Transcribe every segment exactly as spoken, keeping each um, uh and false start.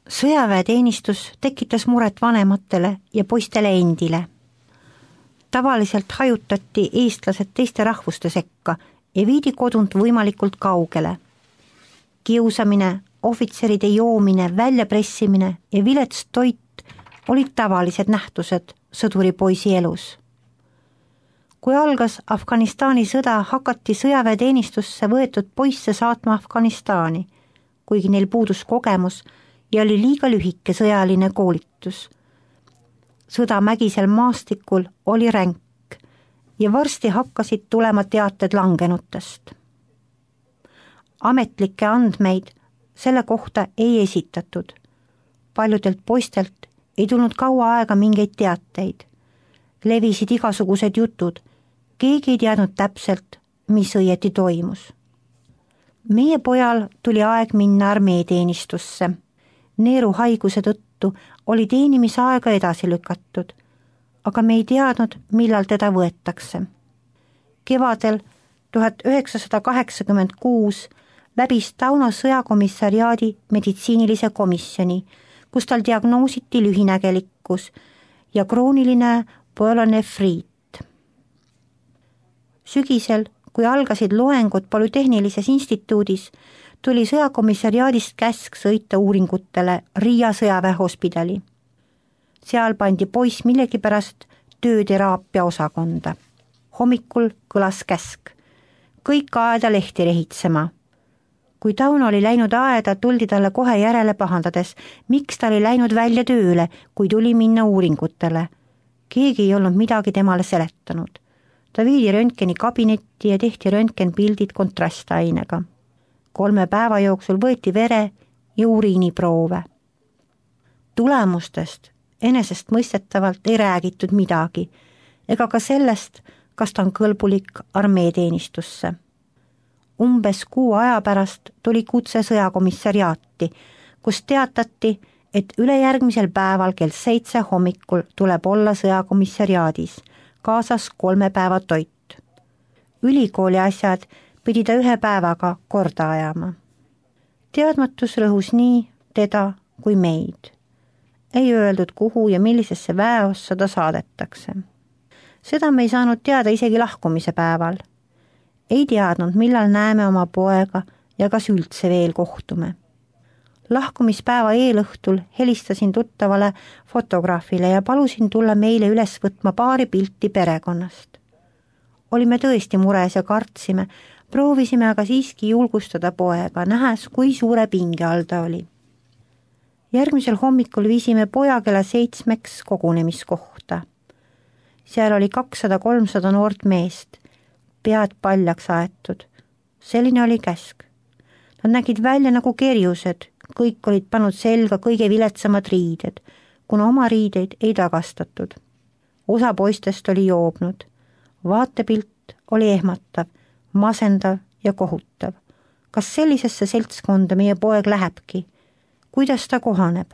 Sõjaväeteenistus tekitas muret vanematele ja poistele endile. Tavaliselt hajutati eestlased teiste rahvuste sekka ja viidi kodunt võimalikult kaugele. Kiusamine, ohvitseride joomine, väljapressimine ja vilets toit olid tavalised nähtused sõduri poisi elus. Kui algas Afganistani sõda, hakati sõjaväeteenistusse võetud poisse saatma Afganistani, kuigi neil puudus kogemus ja oli liiga lühike sõjaline koolitus. Sõda mägisel maastikul oli ränk ja varsti hakkasid tulema teated langenutest. Ametlikke andmeid selle kohta ei esitatud. Paljudelt poistelt ei tulnud kaua aega mingeid teateid. Levisid igasugused jutud, keegi ei teadnud täpselt, mis õieti toimus. Meie pojal tuli aeg minna armeeteenistusse. Neeru haiguse tõttu oli teenimisaega edasi lükatud, aga me ei teadnud, millal teda võetakse. Kevadel tuhat üheksasada kaheksakümmend kuus läbis Tauno sõjakomissariaadi meditsiinilise komisjoni, kus tal diagnoositi lühinägelikkus ja krooniline püelonefriit. Sügisel, kui algasid loengud Polütehnilises instituudis, tuli sõjakomissariaadist käsk sõita uuringutele Riia sõjaväehospidali. Seal pandi poiss millegipärast tööteraapia osakonda. Hommikul kõlas käsk. Kõik aeda lehti rehitsema. Kui Tauno oli läinud aeda, tuldi talle kohe järele pahandades, miks ta oli läinud välja tööle, kui tuli minna uuringutele. Keegi ei olnud midagi temale seletanud. Ta viidi röntgeni kabinetti ja tehti röntgenpildid kontrastainega. Kolme päeva jooksul võeti vere ja uriiniproove. Tulemustest enesest mõistetavalt ei räägitud midagi, ega ka sellest, kas ta on kõlbulik armeeteenistusse. Umbes kuu aja pärast tuli kutse sõjakomissariaati, kus teatati, et ülejärgmisel päeval kell seitse hommikul tuleb olla sõjakomissariaadis, kaasas kolme päeva toit. Ülikooli asjad pidi ta ühe päevaga korda ajama. Teadmatus rõhus nii teda kui meid. Ei öeldud, kuhu ja millisesse väeossa ta saadetakse. Seda me ei saanud teada isegi lahkumise päeval. Ei teadnud, millal näeme oma poega ja kas üldse veel kohtume. Lahkumispäeva eelõhtul helistasin tuttavale fotograafile ja palusin tulla meile üles võtma paari pilti perekonnast. Olime tõesti mures ja kartsime, proovisime aga siiski julgustada poega, nähes, kui suure pinge all ta oli. Järgmisel hommikul viisime poja kella seitsmeks kogunemiskohta. Seal oli kakssada kolmsada noort meest, pead paljaks aetud. Selline oli käsk. Nad nägid välja nagu kerjused, kõik olid pannud selga kõige viletsamad riided, kuna oma riideid ei tagastatud. Osa poistest oli joobnud. Vaatepilt oli ehmatav, masendav ja kohutav. Kas sellisesse seltskonda meie poeg lähebki? Kuidas ta kohaneb?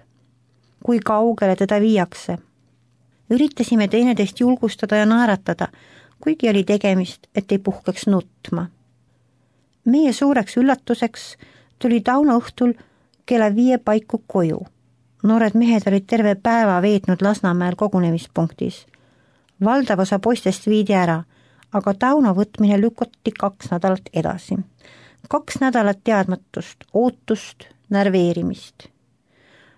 Kui kaugele teda viiakse? Üritasime teineteist julgustada ja naeratada, kuigi oli tegemist, et ei puhkeks nutma. Meie suureks üllatuseks tuli Tauno õhtul kella viie paiku koju. Noored mehed olid terve päeva veetnud Lasnamäel kogunemispunktis. Valdav osa poistest viidi ära, aga Tauno võtmine lükati kaks nädalat edasi. Kaks nädalat teadmatust, ootust, närveerimist.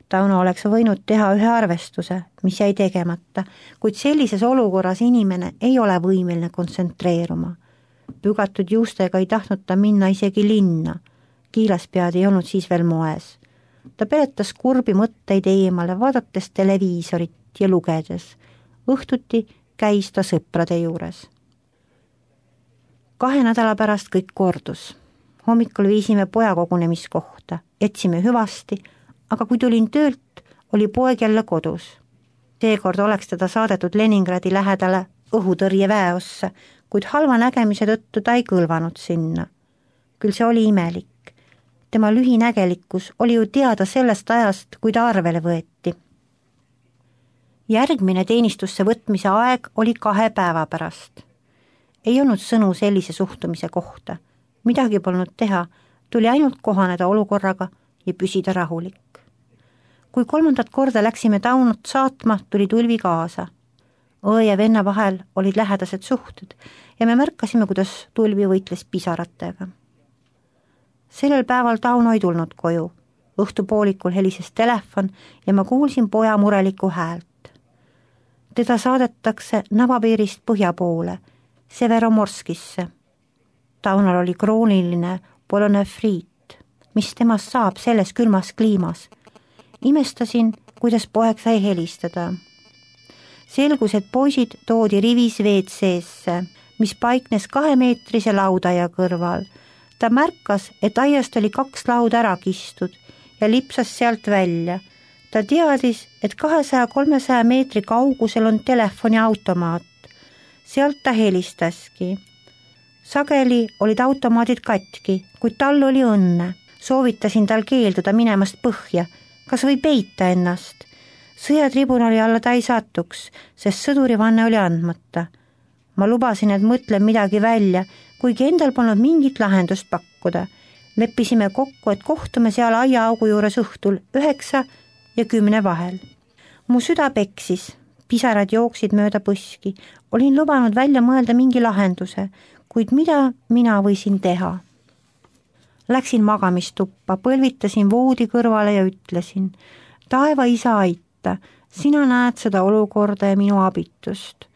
Tauno oleks võinud teha ühe arvestuse, mis jäi tegemata, kuid sellises olukorras inimene ei ole võimeline kontsentreeruma. Pügatud juustega ei tahtnud ta minna isegi linna. Kiilaspead ei olnud siis veel moes. Ta peletas kurbi mõtteid eemale, vaadates televiisorit ja lugedes. Õhtuti käis ta sõprade juures. Kahe nädala pärast kõik kordus. Hommikul viisime poja kogunemiskohta, etsime hüvasti, aga kui tulin töölt, oli poeg jälle kodus. Seekord oleks teda saadetud Leningradi lähedale õhutõrjeväeossa, kuid halva nägemise tõttu ta ei kõlvanud sinna. Küll see oli imelik. Tema lühinägelikkus oli ju teada sellest ajast, kui ta arvele võeti. Järgmine teenistusse võtmise aeg oli kahe päeva pärast. Ei olnud sõnu sellise suhtumise kohta. Midagi polnud teha, tuli ainult kohaneda olukorraga ja püsida rahulik. kui kolmandat korda läksime Taunot saatma, tuli Tulvi kaasa. Õe ja venna vahel olid lähedased suhted ja me märkasime, kuidas Tulvi võitles pisaratega. Sellel päeval Tauno ei tulnud koju. Õhtupoolikul helises telefon ja ma kuulsin poja murelikku häält. Teda saadetakse Navapiirist põhja poole, Severomorskisse. Taunal oli krooniline polonefriit, mis temast saab selles külmas kliimas. Imestasin, kuidas poeg sai helistada. Selgus, et poisid toodi rivis V C-sse, mis paiknes kahemeetrise laudaia kõrval. Ta märkas, et aiast oli kaks lauda ära kistud ja lipsas sealt välja. Ta teadis, et kahesaja kolmesaja meetri kaugusel on telefoniautomaat. Sealt ta helistaski. Sageli olid automaadid katki, kuid tal oli õnne. Soovitasin tal keelduda minemast põhja, kas või peita ennast. Sõjatribunali alla ta ei satuks, sest sõdurivanne oli andmata. Ma lubasin, et mõtlen midagi välja, kuigi endal polnud mingit lahendust pakkuda. Leppisime kokku, et kohtume seal aiaaugu juures õhtul üheksa ja kümne vahel. Mu süda peksis, pisarad jooksid mööda põski. Olin lubanud välja mõelda mingi lahenduse, kuid mida mina võisin teha? Läksin magamistuppa, põlvitasin voodi kõrvale ja ütlesin, taeva isa aita, sina näed seda olukorda ja minu abitust.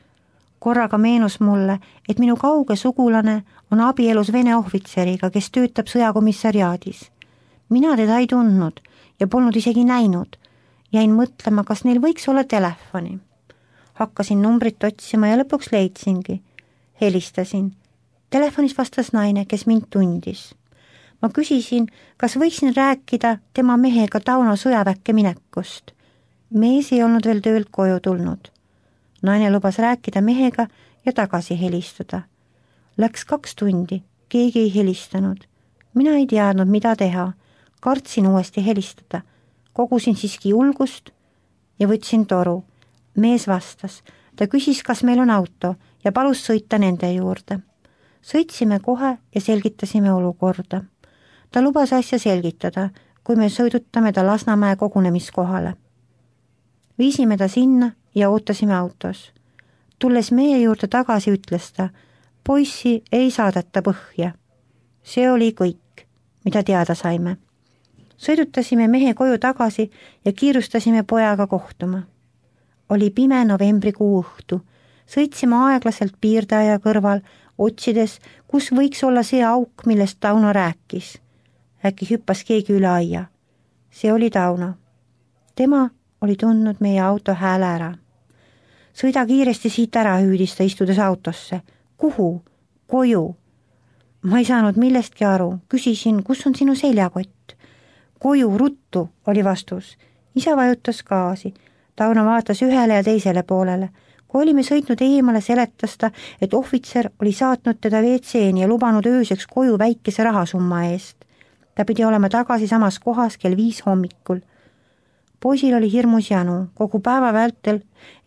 Korraga meenus mulle, et minu kauge sugulane on abielus Vene ohvitseriga, kes töötab sõjakomissariaadis. Mina teda ei tundnud ja polnud isegi näinud. Jäin mõtlema, kas neil võiks olla telefoni. Hakkasin numbrit otsima ja lõpuks leidsingi. Helistasin. Telefonis vastas naine, kes mind tundis. Ma küsisin, kas võiksin rääkida tema mehega Tauno sõjaväkke minekust. Mees ei olnud veel töölt koju tulnud. Naine lubas rääkida mehega ja tagasi helistada. Läks kaks tundi, keegi ei helistanud. Mina ei teadnud, mida teha. Kartsin uuesti helistada. Kogusin siiski julgust ja võtsin toru. Mees vastas. Ta küsis, kas meil on auto ja palus sõita nende juurde. Sõitsime kohe ja selgitasime olukorda. Ta lubas asja selgitada, kui me sõidutame ta Lasnamäe kogunemiskohale. Viisime ta sinna ja ootasime autos. Tulles meie juurde tagasi, ütles ta, poissi ei saadeta põhja. See oli kõik, mida teada saime. Sõidutasime mehe koju tagasi ja kiirustasime pojaga kohtuma. Oli pime novembrikuu õhtu. Sõitsime aeglaselt piirdaja kõrval, otsides, kus võiks olla see auk, millest Tauno rääkis. Äkki hüppas keegi üle aia. See oli Tauno. Tema oli tundnud meie auto hääle ära. Sõida kiiresti siit ära, hüüdis ta istudes autosse. Kuhu? Koju. Ma ei saanud millestki aru. Küsisin, kus on sinu seljakott? Koju, ruttu, oli vastus. Isa vajutas gaasi. Tauno vaatas ühele ja teisele poolele. Kui olime sõitnud eemale, seletas ta, et ohvitser oli saatnud teda V C-ni ja lubanud ööseks koju väikese rahasumma eest. Ta pidi olema tagasi samas kohas kell viis hommikul. Poisil oli hirmus janu, kogu päeva vältel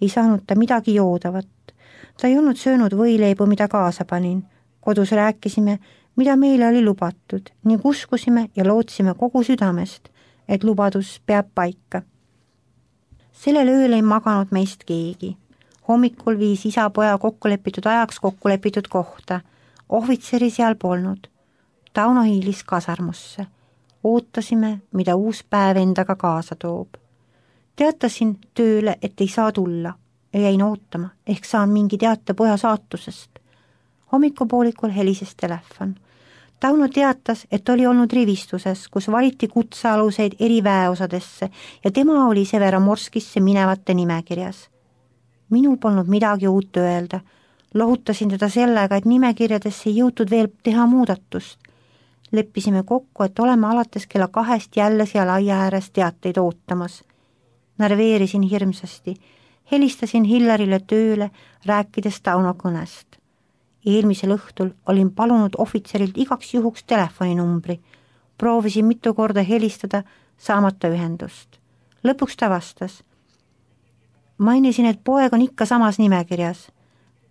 ei saanud ta midagi joodavat. Ta ei olnud söönud võileibu, mida kaasa panin. Kodus rääkisime, mida meile oli lubatud, ning uskusime ja lootsime kogu südamest, et lubadus peab paika. Sellel ööl ei maganud meist keegi. Hommikul viis isa poja kokkulepitud ajaks kokkulepitud kohta. Ohvitseri seal polnud. Tauno hiilis kasarmusse. Ootasime, mida uus päev endaga kaasa toob. Teatasin tööle, et ei saa tulla ja jäin ootama, ehk saan mingi teate poja saatusest. Hommikupoolikul helises telefon. Tauno teatas, et oli olnud rivistuses, kus valiti kutsealuseid eri väeosadesse ja tema oli Severomorskisse minevate nimekirjas. Minul polnud midagi uut öelda. Lohutasin teda sellega, et nimekirjadesse ei jõutud veel teha muudatust. Leppisime kokku, et oleme alates kella kahest jälle seal aia ääres teateid ootamas. Närveerisin hirmsasti. Helistasin Hillarile tööle, rääkides Tauno kõnest. Eelmisel õhtul olin palunud ohvitserilt igaks juhuks telefoninumbri. Proovisin mitu korda helistada, saamata ühendust. Lõpuks ta vastas. Mainisin, et poeg on ikka samas nimekirjas.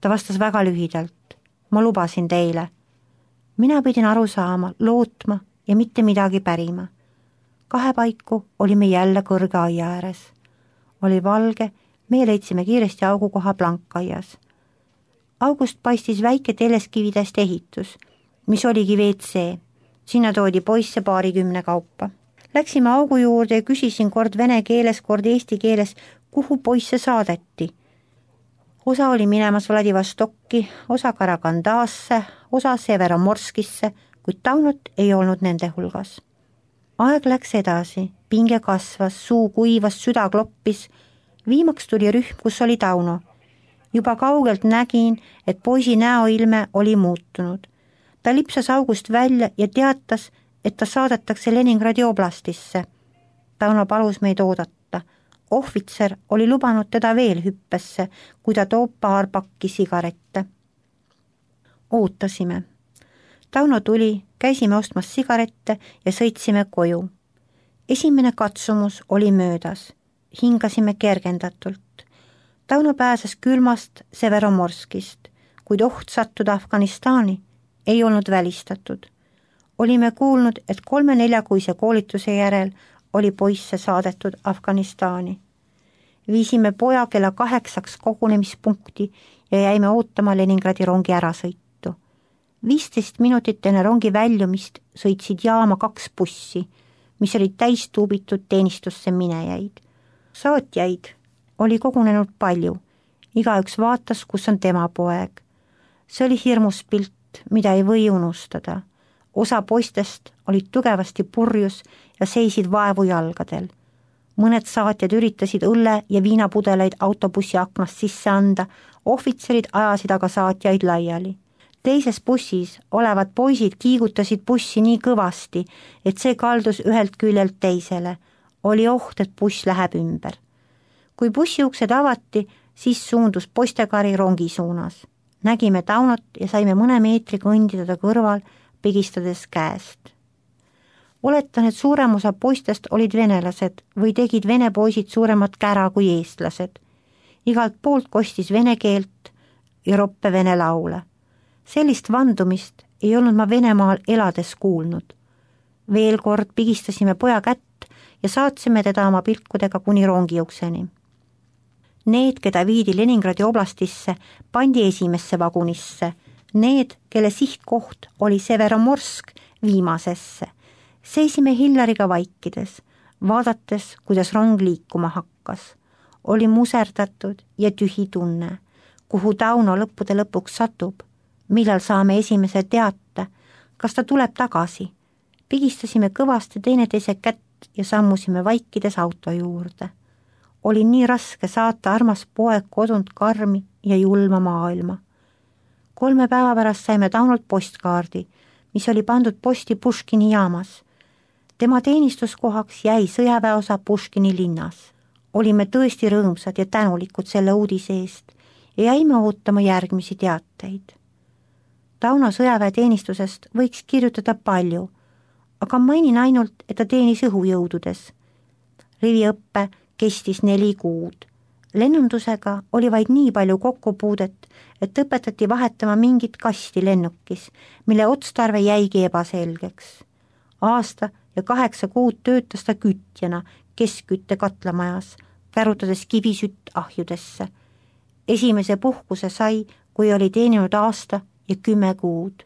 Ta vastas väga lühidalt. Ma lubasin teile. Mina pidin aru saama, lootma ja mitte midagi pärima. kahepaiku olime jälle kõrge aia ääres. Oli valge, me leidsime kiiresti augukoha blankaias. August paistis väike teleskividest ehitus, mis oligi V C. Sinna toodi poisse paarikümne kaupa. Läksime augu juurde ja küsisin kord vene keeles, kord eesti keeles, kuhu poisse saadeti. Osa oli minemas Vladivostokki, osa Karagandaasse, osa Severomorskisse, kuid Taunot ei olnud nende hulgas. Aeg läks edasi, pinge kasvas, suu kuivas, süda kloppis. Viimaks tuli rühm, kus oli Tauno. Juba kaugelt nägin, et poisi näoilme oli muutunud. Ta lipsas august välja ja teatas, et ta saadetakse Leningradi oblastisse. Tauno palus meid oodata. Ohvitser oli lubanud teda veel hüppesse, kui ta toob paar pakki sigarette. Ootasime. Tauno tuli, käisime ostmas sigarette ja sõitsime koju. Esimene katsumus oli möödas. Hingasime kergendatult. Tauno pääses külmast Severomorskist, kuid oht sattuda Afganistani ei olnud välistatud. Olime kuulnud, et kolme-neljakuise koolituse järel oli poisse saadetud Afganistani. Viisime poja kella kaheksaks kogunemispunkti ja jäime ootama Leningradi rongi ärasõitu. viisteist minutit enne rongi väljumist sõitsid jaama kaks bussi, mis olid täis tuubitud teenistusse minejaid. Saatjaid oli kogunenud palju, igaüks vaatas, kus on tema poeg. See oli hirmus pilt, mida ei või unustada. Osa poistest olid tugevasti purjus ja seisid vaevu jalgadel. Mõned saatjad üritasid õlle ja viinapudeleid autobussi aknast sisse anda, ohvitserid ajasid aga saatjaid laiali. Teises bussis olevad poisid kiigutasid bussi nii kõvasti, et see kaldus ühelt küljelt teisele. Oli oht, et buss läheb ümber. Kui bussiuksed avati, siis suundus poistekari rongi suunas. Nägime Taunot ja saime mõne meetri kõndida ta kõrval, pigistades käest. Oletan, et suurem osa poistest olid venelased või tegid vene poisid suuremat kära kui eestlased. Igalt poolt kostis vene keelt ja roppe vene laule. Sellist vandumist ei olnud ma Venemaal elades kuulnud. Veel kord pigistasime poja kätt ja saatsime teda oma pilkudega kuni rongiukseni. Need, keda viidi Leningradi oblastisse, pandi esimesse vagunisse. Need, kelle sihtkoht oli Severomorsk, viimasesse. Seisime Hillariga vaikides, vaadates, kuidas rong liikuma hakkas. Oli muserdatud ja tühi tunne, kuhu Tauno lõppude lõpuks satub. Millal saame esimese teate, kas ta tuleb tagasi. Pigistasime kõvasti teineteise kätt ja sammusime vaikides auto juurde. Oli nii raske saata armas poeg kodunt karmi ja julma maailma. Kolme päeva pärast saime Taunolt postkaardi, mis oli pandud posti Puškini jaamas. Tema teenistuskohaks jäi sõjaväeosa Puškini linnas. Olime tõesti rõõmsad ja tänulikud selle uudise eest ja jäime ootama järgmisi teateid. Tauno sõjaväeteenistusest võiks kirjutada palju, aga mainin ainult, et ta teenis õhujõududes. Riviõppe kestis neli kuud. Lennundusega oli vaid nii palju kokkupuudet, et õpetati vahetama mingit kasti lennukis, mille otstarve jäigi ebaselgeks. Aasta ja kaheksa kuud töötas ta kütjana keskkütte katlamajas, kärutades kivisütt ahjudesse. Esimese puhkuse sai, kui oli teeninud aasta ja kümme kuud.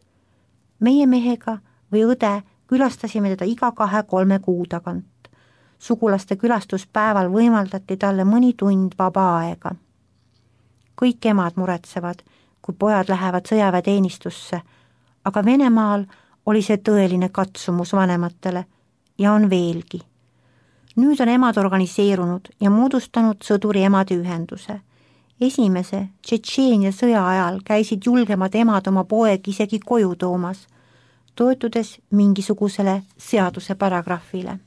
Meie mehega või õde külastasime teda iga kahe-kolme kuu tagant. Sugulaste külastuspäeval võimaldati talle mõni tund vaba aega. Kõik emad muretsevad, kui pojad lähevad sõjaväeteenistusse, aga Venemaal oli see tõeline katsumus vanematele ja on veelgi. Nüüd on emad organiseerunud ja moodustanud sõduri emade ühenduse. Esimese Tšetšeenia sõja ajal käisid julgemad emad oma poeg isegi koju toomas, toetudes mingisugusele seaduse paragrahvile.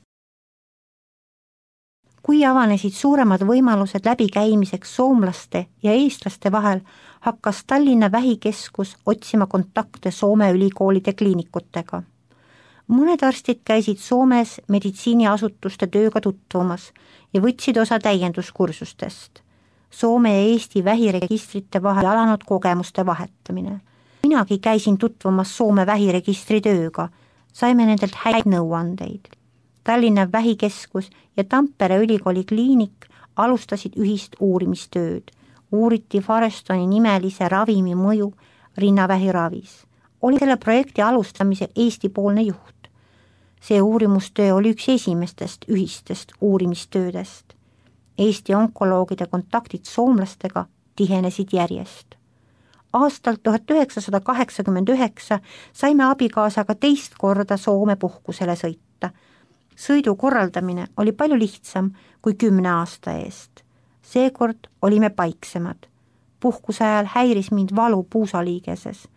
Kui avanesid suuremad võimalused läbikäimiseks soomlaste ja eestlaste vahel, hakkas Tallinna vähikeskus otsima kontakte Soome ülikoolide kliinikutega. Mõned arstid käisid Soomes meditsiiniasutuste tööga tutvumas ja võtsid osa täienduskursustest. Soome ja Eesti vähiregistrite vahel alanud kogemuste vahetamine. Minagi käisin tutvumas Soome vähiregistri tööga, saime nendelt häid nõuandeid. Tallinna Vähikeskus ja Tampere ülikooli kliinik alustasid ühist uurimistööd. Uuriti Farestoni nimelise ravimi mõju rinnavähiravis. Oli selle projekti alustamise Eesti-poolne juht. See uurimustöö oli üks esimestest ühistest uurimistöödest. Eesti onkoloogide kontaktid soomlastega tihenesid järjest. Aastal tuhat üheksasada kaheksakümmend üheksa saime abikaasaga teist korda Soome puhkusele sõita. Sõidu korraldamine oli palju lihtsam kui kümne aasta eest. Seekord olime paiksemad. Puhkuse ajal häiris mind valu puusaliigeses.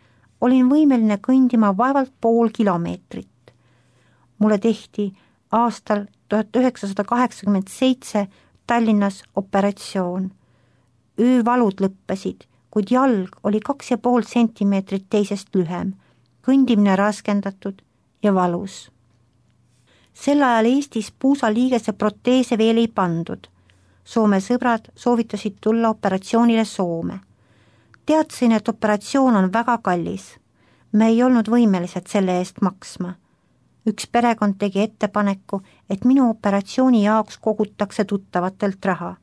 Olin võimeline kõndima vaevalt pool kilomeetrit. Mulle tehti aastal tuhat üheksasada kaheksakümmend seitse Tallinnas operatsioon. Öövalud lõppesid, kuid jalg oli kaks ja pool sentimeetrit teisest lühem, kõndimine raskendatud ja valus. Sel ajal Eestis puusaliigese proteese veel ei pandud. Soome sõbrad soovitasid tulla operatsioonile Soome. Teadsin, et operatsioon on väga kallis. Me ei olnud võimelised selle eest maksma. Üks perekond tegi ettepaneku, et minu operatsiooni jaoks kogutakse tuttavatelt raha.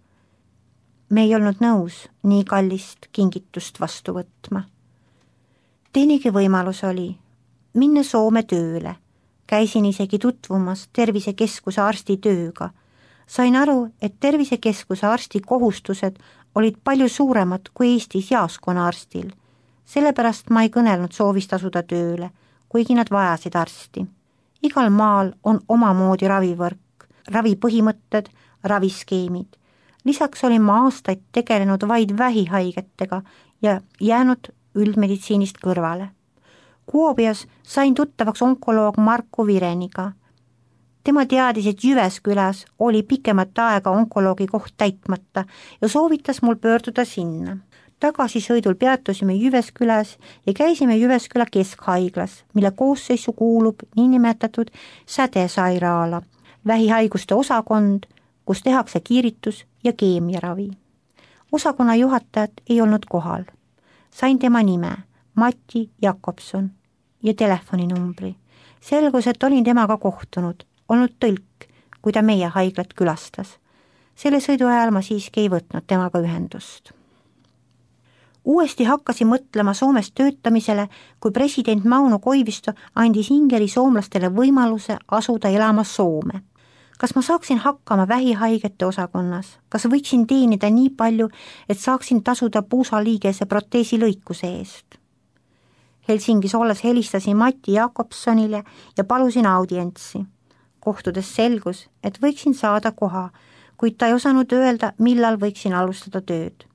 Me ei olnud nõus nii kallist kingitust vastu võtma. Teinegi võimalus oli minna Soome tööle. Käisin isegi tutvumas tervisekeskuse arsti tööga. Sain aru, et tervisekeskuse arsti kohustused olid palju suuremad kui Eestis jaaskonna arstil. Sellepärast ma ei kõnelnud soovist asuda tööle, kuigi nad vajasid arsti. Igal maal on omamoodi ravivõrk, ravipõhimõtted, raviskeemid. Lisaks olin ma aastaid tegelenud vaid vähihaigetega ja jäänud üldmeditsiinist kõrvale. Kuopias sain tuttavaks onkoloog Marko Vireniga. Tema teadis, et Jyväskyläs oli pikemat aega onkoloogi koht täitmata ja soovitas mul pöörduda sinna. Tagasisõidul peatusime Jyväskyläs ja käisime Jyväskylä keskhaiglas, mille koosseisu kuulub niinimetatud sädesairaala, vähihaiguste osakond, kus tehakse kiiritus ja keemiaravi. Osakonna juhatajat ei olnud kohal. Sain tema nime, Matti Jakobson ja telefoninumbri. Selgus, et olin temaga kohtunud, olnud tõlk, kui ta meie haiglat külastas. Selle sõidu ajal ma siiski ei võtnud temaga ühendust. Uuesti hakkasin mõtlema Soomes töötamisele, kui president Mauno Koivisto andis Ingeri soomlastele võimaluse asuda elama Soome. Kas ma saaksin hakkama vähihaigete osakonnas? Kas võiksin teenida nii palju, et saaksin tasuda puusaliigese proteesi lõikuse eest? Helsingis olles helistasin Matti Jakobsonile ja palusin audientsi. Kohtudes selgus, et võiksin saada koha, kuid ta ei osanud öelda, millal võiksin alustada tööd.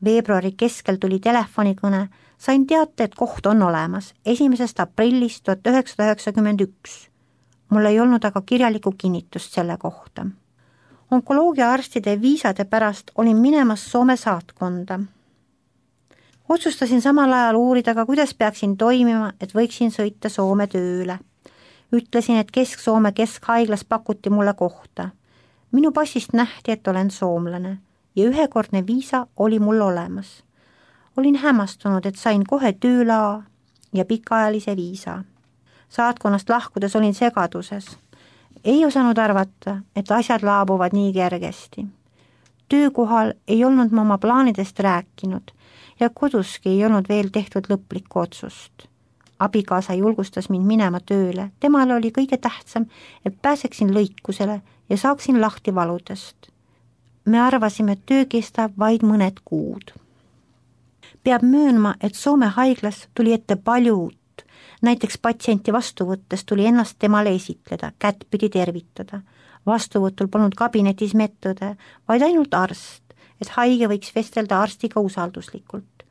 Veebruari keskel tuli telefonikõne, sain teate, et koht on olemas esimesest aprillist tuhat üheksasada üheksakümmend üks. Mul ei olnud aga kirjalikku kinnitust selle kohta. Onkoloogiaarstide viisade pärast olin minemas Soome saatkonda. Otsustasin samal ajal uurida ka, kuidas peaksin toimima, et võiksin sõita Soome tööle. Ütlesin, et Kesk-Soome keskhaiglas pakuti mulle kohta. Minu passist nähti, et olen soomlane ja ühekordne viisa oli mul olemas. Olin hämmastunud, et sain kohe töölaa ja pikaajalise viisa. Saatkonnast lahkudes olin segaduses. Ei osanud arvata, et asjad laabuvad nii kergesti. Töökohal ei olnud ma oma plaanidest rääkinud ja koduski ei olnud veel tehtud lõplikku otsust. Abikaasa julgustas mind minema tööle. Temal oli kõige tähtsam, et pääseksin lõikusele ja saaksin lahti valudest. Me arvasime, et töö kestab vaid mõned kuud. Peab möönma, et Soome haiglas tuli ette palju uut. Näiteks patsienti vastuvõttes tuli ennast temale esitleda, kättpidi tervitada. Vastuvõtul polnud kabinetis medõde, vaid ainult arst, et haige võiks vestelda arstiga usalduslikult.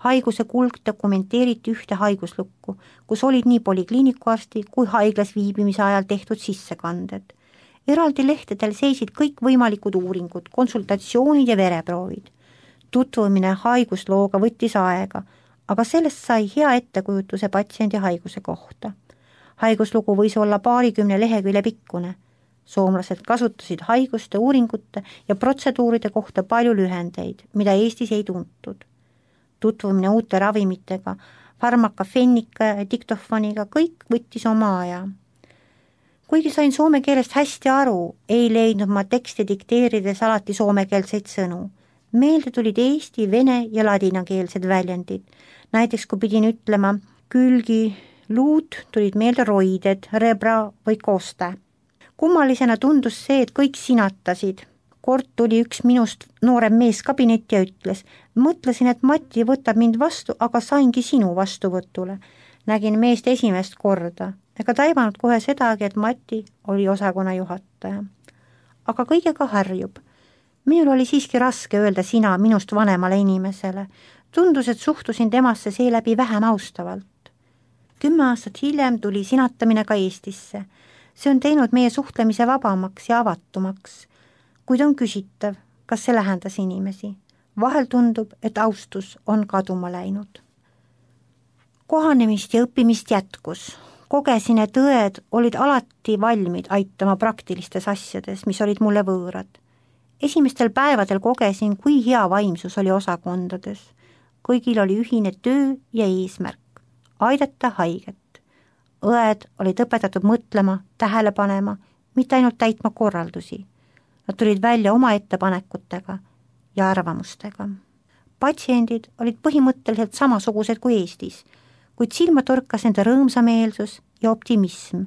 Haiguse kulg dokumenteeriti ühte haiguslukku, kus olid nii polikliinikuarsti kui haiglas viibimise ajal tehtud sissekanded. Eraldi lehtedel seisid kõik võimalikud uuringud, konsultatsioonid ja vereproovid. Tutvumine haiguslooga võttis aega, aga sellest sai hea ettekujutuse patsiendi haiguse kohta. Haiguslugu võis olla paarikümne lehekülje pikkune. Soomlased kasutasid haiguste, uuringute ja protseduuride kohta palju lühendeid, mida Eestis ei tuntud. Tutvumine uute ravimitega, farmakafennika ja diktofoniga, kõik võttis oma aja. kuigi sain soome keelest hästi aru, ei leidnud ma teksti dikteerides alati soomekeelseid sõnu. Meelde tulid eesti, vene ja ladinakeelsed väljendid. Näiteks kui pidin ütlema külgi luud, tulid meelde roided, rebra või koste. Kummalisena tundus see, et kõik sinatasid. Kord tuli üks minust noorem mees kabinetti ja ütles, mõtlesin, et Mati võtab mind vastu, aga saingi sinu vastuvõtule. Nägin meest esimest korda, ega taibanud kohe sedagi, et Mati oli osakonna juhataja. Aga kõigega harjub. Minul oli siiski raske öelda sina minust vanemale inimesele. Tundus, et suhtusin temasse seeläbi vähem austavalt. Kümme aastat hiljem tuli sinatamine ka Eestisse. See on teinud meie suhtlemise vabamaks ja avatumaks. Kuid on küsitav, kas see lähendas inimesi. Vahel tundub, et austus on kaduma läinud. Kohanemist ja õppimist jätkus. Kogesin, et õed olid alati valmid aitama praktilistes asjades, mis olid mulle võõrad. Esimestel päevadel kogesin, kui hea vaimsus oli osakondades. Kõigil oli ühine töö ja eesmärk. Aidata haiget. Õed olid õpetatud mõtlema, tähele panema, mitte ainult täitma korraldusi. Nad tulid välja oma ettepanekutega ja arvamustega. Patsiendid olid põhimõtteliselt samasugused kui Eestis, kuid silma torkas nende rõõmsameelsus ja optimism,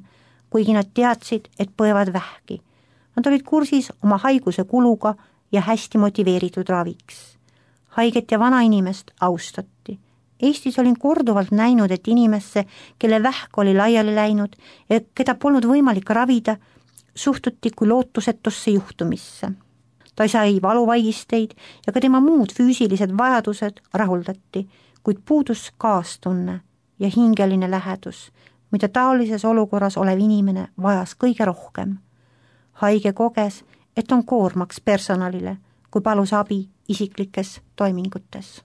kuigi nad teadsid, et põevad vähki. Nad olid kursis oma haiguse kuluga ja hästi motiveeritud raviks. Haiget ja vana inimest austati. Eestis olin korduvalt näinud, et inimesse, kelle vähk oli laiali läinud ja keda polnud võimalik ravida, suhtuti kui lootusetusse juhtumisse. Ta sai valuvaigisteid ja ka tema muud füüsilised vajadused rahuldati, kuid puudus kaastunne ja hingeline lähedus, mida taolises olukorras olev inimene vajas kõige rohkem. Haige koges, et on koormaks personalile, kui palus abi isiklikes toimingutes.